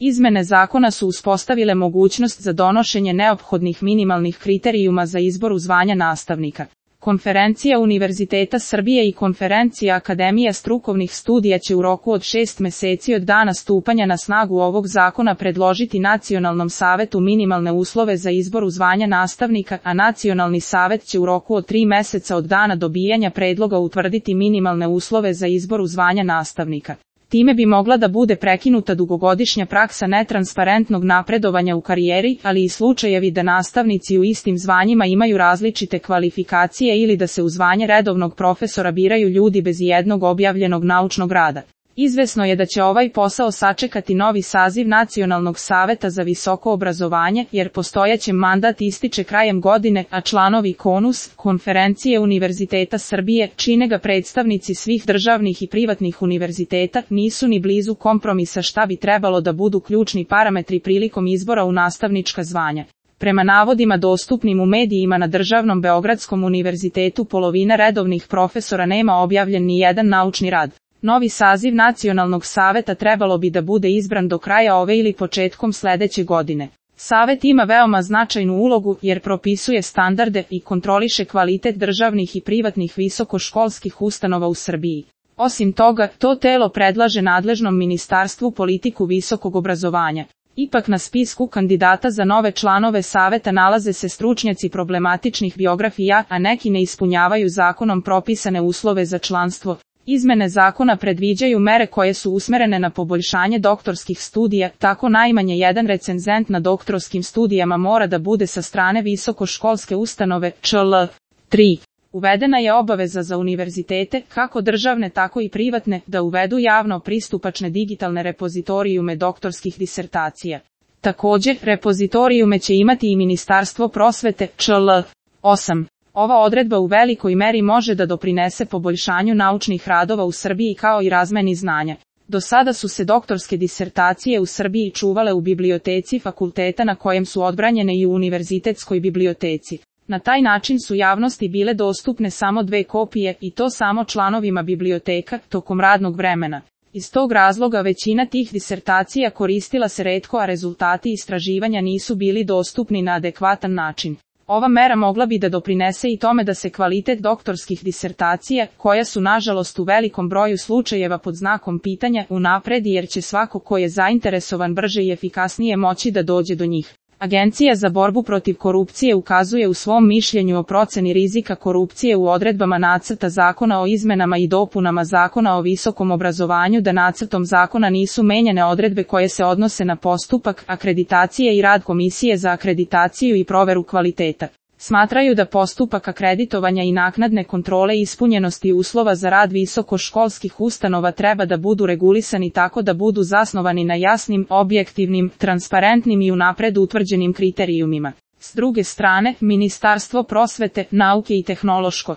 Izmene zakona su uspostavile mogućnost za donošenje neophodnih minimalnih kriterijuma za izbor u zvanja nastavnika. Konferencija Univerziteta Srbije i Konferencija Akademija strukovnih studija će u roku od 6 meseci od dana stupanja na snagu ovog zakona predložiti Nacionalnom savetu minimalne uslove za izbor u zvanja nastavnika, a Nacionalni savet će u roku od 3 meseca od dana dobijanja predloga utvrditi minimalne uslove za izbor u zvanja nastavnika. Time bi mogla da bude prekinuta dugogodišnja praksa netransparentnog napredovanja u karijeri, ali i slučajevi da nastavnici u istim zvanjima imaju različite kvalifikacije ili da se u zvanje redovnog profesora biraju ljudi bez ijednog objavljenog naučnog rada. Izvesno je da će ovaj posao sačekati novi saziv Nacionalnog saveta za visoko obrazovanje, jer postojeći mandat ističe krajem godine, a članovi KONUS, Konferencije Univerziteta Srbije, čine ga predstavnici svih državnih i privatnih univerziteta, nisu ni blizu kompromisa šta bi trebalo da budu ključni parametri prilikom izbora u nastavnička zvanja. Prema navodima dostupnim u medijima na Državnom Beogradskom univerzitetu polovina redovnih profesora nema objavljen ni jedan naučni rad. Novi saziv Nacionalnog saveta trebalo bi da bude izbran do kraja ove ili početkom sledeće godine. Savet ima veoma značajnu ulogu jer propisuje standarde i kontroliše kvalitet državnih i privatnih visokoškolskih ustanova u Srbiji. Osim toga, to telo predlaže nadležnom ministarstvu politiku visokog obrazovanja. Ipak na spisku kandidata za nove članove saveta nalaze se stručnjaci problematičnih biografija, a neki ne ispunjavaju zakonom propisane uslove za članstvo. Izmene zakona predviđaju mere koje su usmerene na poboljšanje doktorskih studija, tako najmanje jedan recenzent na doktorskim studijama mora da bude sa strane visokoškolske ustanove, ČL. 3. Uvedena je obaveza za univerzitete, kako državne tako i privatne, da uvedu javno pristupačne digitalne repozitorijume doktorskih disertacija. Također, repozitorijume će imati i Ministarstvo prosvete, ČL. 8. Ova odredba u velikoj meri može da doprinese poboljšanju naučnih radova u Srbiji kao i razmeni znanja. Do sada su se doktorske disertacije u Srbiji čuvale u biblioteci fakulteta na kojem su odbranjene i u univerzitetskoj biblioteci. Na taj način su javnosti bile dostupne samo 2 kopije i to samo članovima biblioteka tokom radnog vremena. Iz tog razloga većina tih disertacija koristila se retko, a rezultati istraživanja nisu bili dostupni na adekvatan način. Ova mera mogla bi da doprinese i tome da se kvalitet doktorskih disertacija, koja su nažalost u velikom broju slučajeva pod znakom pitanja, unapredi jer će svako ko je zainteresovan brže i efikasnije moći da dođe do njih. Agencija za borbu protiv korupcije ukazuje u svom mišljenju o proceni rizika korupcije u odredbama nacrta zakona o izmenama i dopunama zakona o visokom obrazovanju da nacrtom zakona nisu menjane odredbe koje se odnose na postupak, akreditacije i rad Komisije za akreditaciju i proveru kvaliteta. Smatraju da postupak akreditovanja i naknadne kontrole ispunjenosti uslova za rad visokoškolskih ustanova treba da budu regulisani tako da budu zasnovani na jasnim, objektivnim, transparentnim i unapred utvrđenim kriterijumima. S druge strane, Ministarstvo prosvete, nauke i tehnološkog